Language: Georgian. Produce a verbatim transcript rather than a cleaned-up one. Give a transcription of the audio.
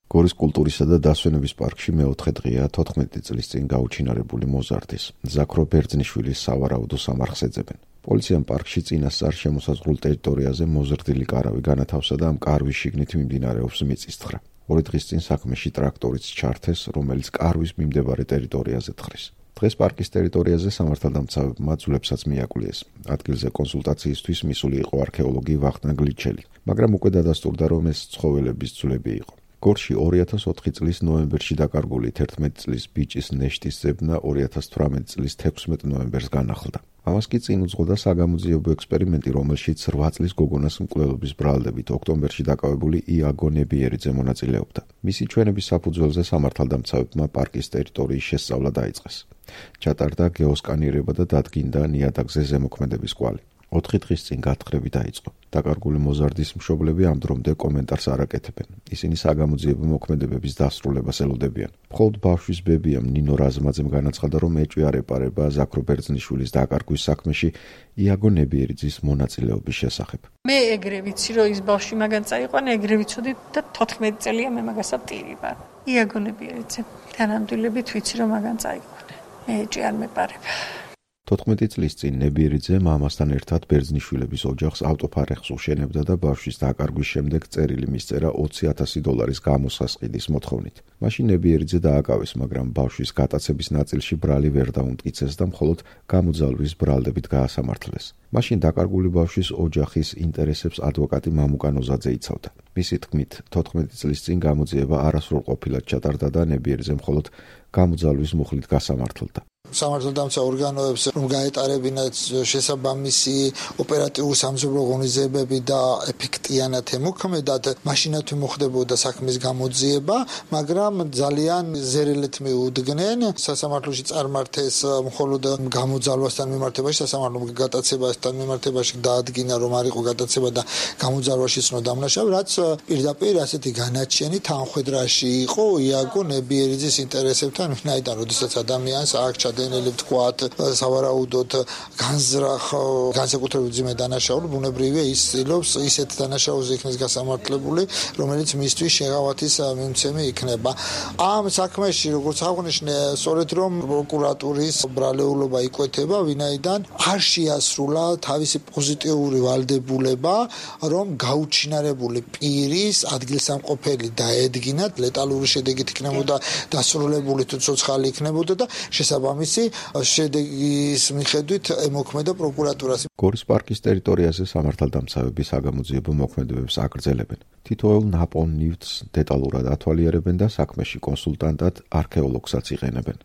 გორის კულტურისა და დასვენების პარკში მეოთხე დღეა თოთხმეტი წლის წინ გაუჩინარებული მოზარდის ზაქრო ბერძნიშვილის სავარაუდო სამარხს ეძებენ. პოლიციამ პარკში წინასწარ შემოსაზღვრულ ტერიტორიაზე მოზრდილი კარავი განათავსა და ამ კარვის შიგნით მიმდინარეობს მიწისძვრა. ორი დღის წინ საქმეში ტრაქტორიც ჩართეს, რომელიც კარვის მიმდებარე ტერიტორიაზე თხრის. დღეს პარკის ტერიტორიაზე სამართალდამცავებმა ძვლებსაც მიაკვლიეს. ადგილზე კონსულტაციისთვის მისული იყო არქეოლოგი ვახტანგ ლიჩელი, მაგრამ უკვე დადასტურდა, რომ ეს ცხოველების ძვლები იყო. გორში ორი ათას ოთხი წლის ნოემბერში დაკარგული თერთმეტი წლის ბიჭის ნეშტის ძებნა ორი ათას თვრამეტი წლის თექვსმეტ ნოემბერს განახლდა. ამას კი წინ უძღოდა საგამოძიებო ექსპერიმენტი, რომელშიც რვა წლის გოგონას მკვლელობის ბრალდებით ოქტომბერში დაკავებული იაგო ნებიერიძე მონაწილეობდა. მისი ჩვენების საფუძველზე სამართალდამცავებმა პარკის ტერიტორიის შესწავლა დაიწყეს. ჩატარდა გეოსკანირება და დადგინდა ნიადაგზე ზემოქმედების კვალი. ოთხი დღის წინ გათხრები დაიწყო. დაკარგული მოზარდის მშობლები ამ დრომდე კომენტარს არ აკეთებენ. ისინი საგამოძიებო მოქმედებების დასრულებას ელოდებიან. მხოლოდ ბავშვის ბებიამ ნინო რაზმაძემ განაცხადა, რომ ეჭვი არ ეპარება ზაქრო ბერძნიშვილის დაკარგვის საქმეში იაგო ნებიერიძის მონაწილეობის შესახებ. მე ეგრე ვიცი, რომ ის ბავშვი მაგან წაიყვანა, ეგრე ვიცოდი და თოთხმეტი წელია მე მაგასა ტირი ვარ. იაგო ნებიერიძე. თანამდებობით ვიცი, რომ მაგან წაიყვანა. მე ეჭვი არ მეპარება. თოთხმეტი წლის წინ ნებიერიძე მამასთან ერთად ბერძნიშვილების ოჯახს ავტოფარეხს უშენებდა და ბავშვის დაკარგვის შემდეგ წერილი მისწერა ოცი ათასი დოლარის გამოსასყიდის მოთხოვნით. მაშინ ნებიერიძე დააკავეს, მაგრამ ბავშვის გატაცების ნაწილში ბრალი ვერ დაუმტკიცეს და მხოლოდ გამოძალვის ბრალდებით გაასამართლეს. მაშინ დაკარგული ბავშვის ოჯახის ინტერესებს ადვოკატი მამუკა ნოზაძე იცავდა. მისი თქმით, თოთხმეტი წლის წინ გამოძიება არასრულყოფილად ჩატარდა და ნებიერიძე მხოლოდ გამოძალვის მუხლით გასამართლდა. სამართალდამცავ ორგანოებს რომ გაეტარებინათ შესაბამისი ოპერატიული სამშობლო ღონისძიებები და ეფექტიანად ემოქმედათ, მაშინაც მოხდებოდა საქმის გამოძიება, მაგრამ ძალიან ზერელეთ მიუდგნენ. სასამართლოში წარმართეს მხოლოდ გამოძალვასთან მიმართებაში, სასამართლო გატაცებასთან მიმართებაში დაადგინა, რომ არ იყო გატაცება და გამოძალვაში ცნო დამნაშავე, რაც პირდაპირ ასეთი განაჩენი თანხვედრაში იყო იაგო ნებიერიძის ინტერესებთან, ვინაიდან როდესაც ადამიანს აქ დენელი ვთქვათ, სავარაუდოდ განზრახ განსაკუთრებით ძიმე დანაშაული, ბუნებრივია ის ცდილობს ისეთ დანაშაულზე იქნეს გასამართლებული, რომელიც მისთვის შეღავათის მიმცემი იქნება. ამ საქმეში, როგორც აღნიშნე, სწორედ რომ პროკურატურის ბრალეულობა იკვეთება, ვინაიდან არ შეასრულა თავისი პოზიტიური ვალდებულება, რომ გაუჩინარებული პირის ადგილსამყოფელი დაედგინათ, ლეტალური შედეგით იქნებოდა დასრულებული თუ ცოცხალი იქნებოდა და შესაბამისი შედეგის მიხედვით ემოქმედა პროკურატურას. გორის პარკის ტერიტორიაზე სამართალდამცავები საგამოძიებო მოქმედებებს აგრძელებენ. თითოეულ ნაპოვნ ნივთს დეტალურად ათვალიერებენ და საქმეში კონსულტანტად არქეოლოგსაც იყენებენ.